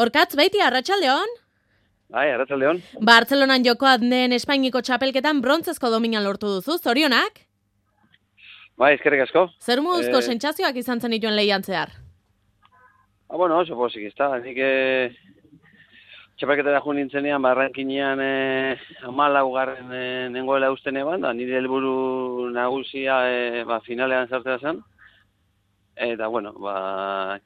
Orkatz, baiti, arratsaldeon? Bai, arratsaldeon. Bartzelonan jokoan den Espainiko txapelketan brontzezko domina lortu duzu, zorionak? Bai, eskerrik asko. Zer moduzko sentsazioak izan zen dituen lehian zehar? Bueno, oso pozik, ezta. Nik txapelketara joan nintzenean, barrankinean 14. nengoela usten eban, da nire helburu nagusia finalean sartzea zen. Eta, bueno,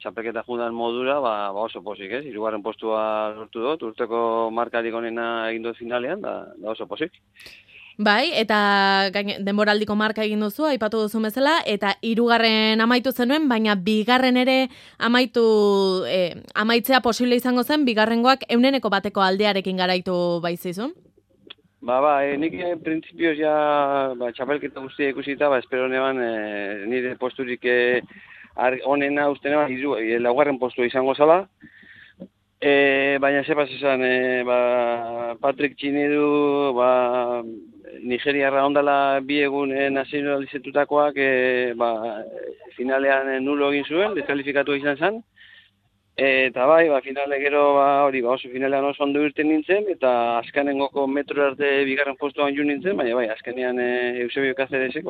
txapelketa jundan modura, oso pozik, ez? 3. postua lortu dut, urteko markarik onena egin dut finalean, da oso pozik. Bai, eta denboraldiko marka egin duzu, aipatu duzu bezala, eta 3. amaitu zenuen, baina 2. ere amaitzea posible izango zen, 2. 100% aldearekin garaitu baitzizun? Nik printzipioz txapelketa guztia ikusita, espero neban nire posturik onena uste neban, 4. postua izango zala. Baina zepas esan, Patrick Txinedu, Nigeriarra ondala 2 egun nazionalizatutakoak finalean nulo egin zuen, deskalifikatu izan zen. Eta finale gero oso finalean oso ondo irten nintzen, eta azkenengoko metro arte 2. postuan joan nintzen, baina azkenean Eusebio Cáceresek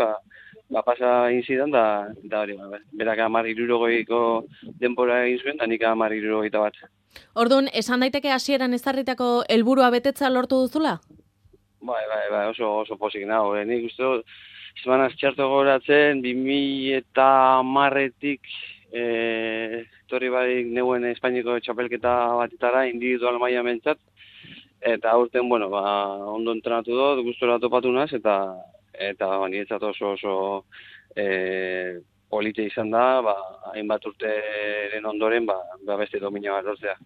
pasa egin zidan, da hori, berak 10.60ko denbora egin zuen, da nik 10.61. Orduan, esan daiteke hasieran ezarritako helburua betetza lortu duzula? Bai, oso pozik nago. Nik uste dut, izmanaz txarto goratzen, 2010-tik etorri barik neuen Espainiko txapelketa batetara, individual maila mentzat. Eta aurten, ondo entrenatu dut, gustora topatu naz, eta niretzat oso polite izan da, hainbat urteren ondoren, beste domina bat lortzea.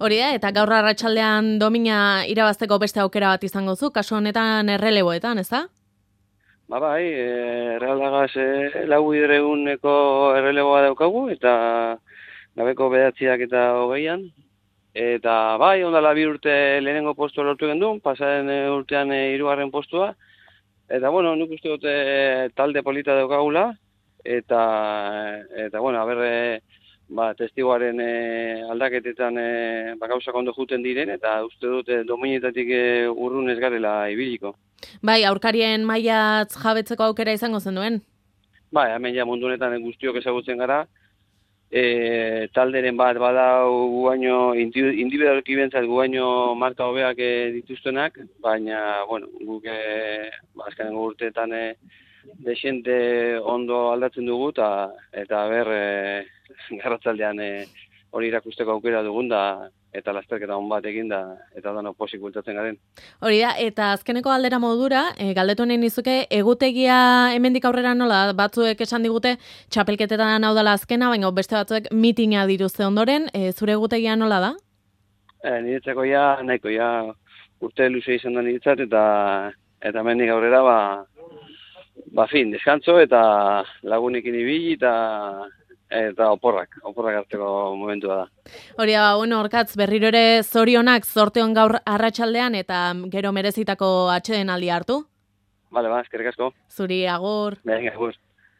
Hori da, eta gaur arratsaldean domina irabazteko beste aukera bat izango zu, kasu honetan erreleboetan, ez da? Errealagaz 4 erreleboa daukagu, eta gabeko 9 eta 20. Eta ondala 2 urte lehenengo postua lortu gendun, pasaren urtean 3. postua. Eta, nik uste dut talde polita daukagula, eta testiguaren aldaketetan gauzak ondo juten diren, eta uste dut dominetatik urrun ez garela ibiliko. Bai, aurkarien mailatz jabetzeko aukera izango zen duen? Hemen mundu honetan guztiok ezagutzen gara, talderen bat badau guaino, individualki bentzat guaino marka hobeak dituztenak, baina, guk azkenengo urteetan desente ondo aldatzen dugu, eta garratzaldean hori irakusteko aukera dugun da, eta lasterketa hon bat egin da, eta dano posik bultatzen garen. Hori da, eta azkeneko galdera modura, galdetu nahi nizuke, egutegia hemendik aurrera nola, batzuek esan digute, txapelketetan hau dela azkena, baina beste batzuek mitina dituzte ondoren, zure egutegia nola da? Niretzako nahiko urte luze izan da niretzat, eta hemendik aurrera, deskantzo eta lagunekin ibili eta oporrak hartzeko momentua da. Hori da, Orkatz, berriro ere zorionak zorteon gaur arratsaldean eta gero merezitako atsedenaldia hartu? Bale, eskerrik asko. Zuri, agur. Agur.